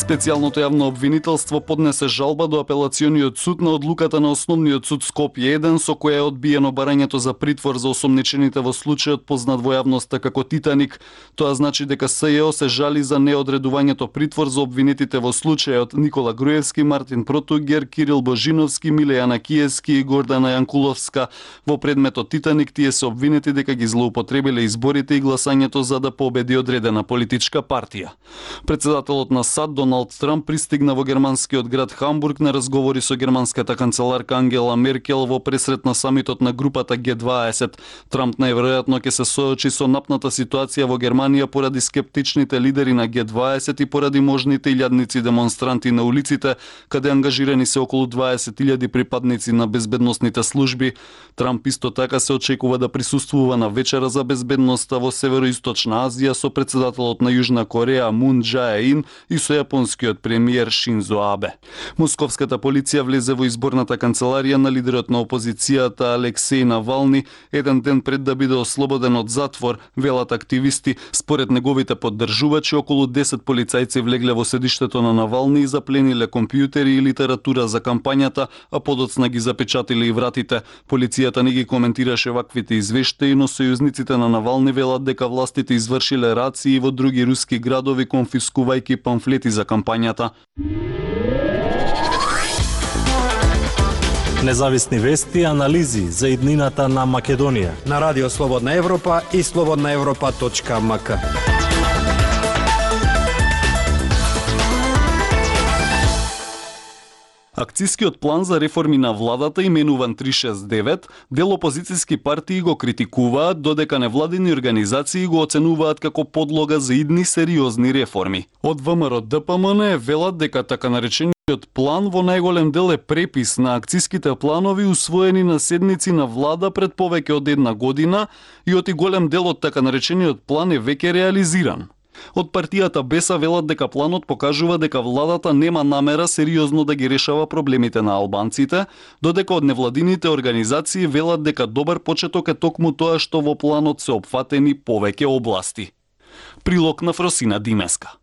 Специјалното јавно обвинителство поднесе жалба до апелациониот суд на одлуката на Основниот суд Скопје 1 со која е одбиено барањето за притвор за осомничените во случајот познат во јавноста како Титаник. Тоа значи дека СЈО се жали за неодредувањето притвор за обвинетите во случајот Никола Груевски, Мартин Протугер, Кирил Божиновски, Милејана Киевски и Гордана Јанкуловска. Во предметот Титаник тие се обвинети дека ги злоупотребиле изборите и гласањето за да победи одредена политичка партија. Председателот на САД Доналд Трамп пристигна во германскиот град Хамбург на разговори со германската канцеларка Ангела Меркел во пресрет на самитот на групата Г20. Трамп најверојатно ќе се соочи со напната ситуација во Германија поради скептичните лидери на Г20 и поради можните илјадници демонстранти на улиците, каде ангажирани се околу 20.000 припадници на безбедносните служби. Трамп исто така се очекува да присуствува на вечера за безбедноста во Североисточна Азија со председателот на Јужна Кореја Мун Џаe-ин и со јапонскиот премиер Шинзо Абе. Московската полиција влезе во изборната канцеларија на лидерот на опозицијата Алексеј Навални еден ден пред да биде ослободен од затвор, велат активисти. Според неговите поддржувачи, околу 10 полицајци влегле во седиштето на Навални и заплениле компјутери и литература за кампањата, а подоцна ги запечатиле и вратите. Полицијата не ги коментираше ваквите извештаи, но сојузниците на Навални велат дека властите извршиле рации во други руски градови конфискувајќи памфлети за кампањата. Независни вести и анализи за иднината на Македонија на Радио Слободна Европа и slobodnaevropa.mk. Акцискиот план за реформи на владата, именуван 369, дел опозицијски партии го критикуваат, додека невладини организации го оценуваат како подлога за идни сериозни реформи. Од ВМРО-ДПМН велат дека така наречениот план во најголем дел е препис на акциските планови усвоени на седници на влада пред повеќе од една година и оти голем дел од така наречениот план е веќе реализиран. Од партијата Беса велат дека планот покажува дека владата нема намера сериозно да ги решава проблемите на албанците, додека од невладините организации велат дека добар почеток е токму тоа што во планот се опфатени повеќе области. Прилог на Фросина Димеска.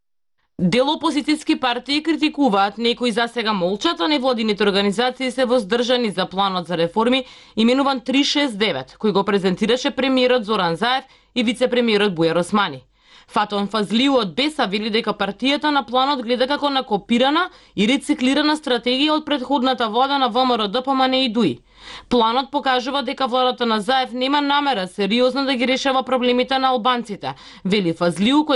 Дел опозицијски партии критикуваат, некои засега молчат, а невладините организации се воздржани за планот за реформи именуван 369, кој го презентираше премиерот Зоран Заев и вице-премиерот Бујар Османи. Фатон Фазлиу од Беса вели дека партијата на планот гледа како на копирана и рециклирана стратегија од претходната влада на ВМРО-ДПМН и ДУИ. Планот покажува дека владата на Заев нема намера сериозно да ги решава проблемите на албанците, вели Фазлиу, кој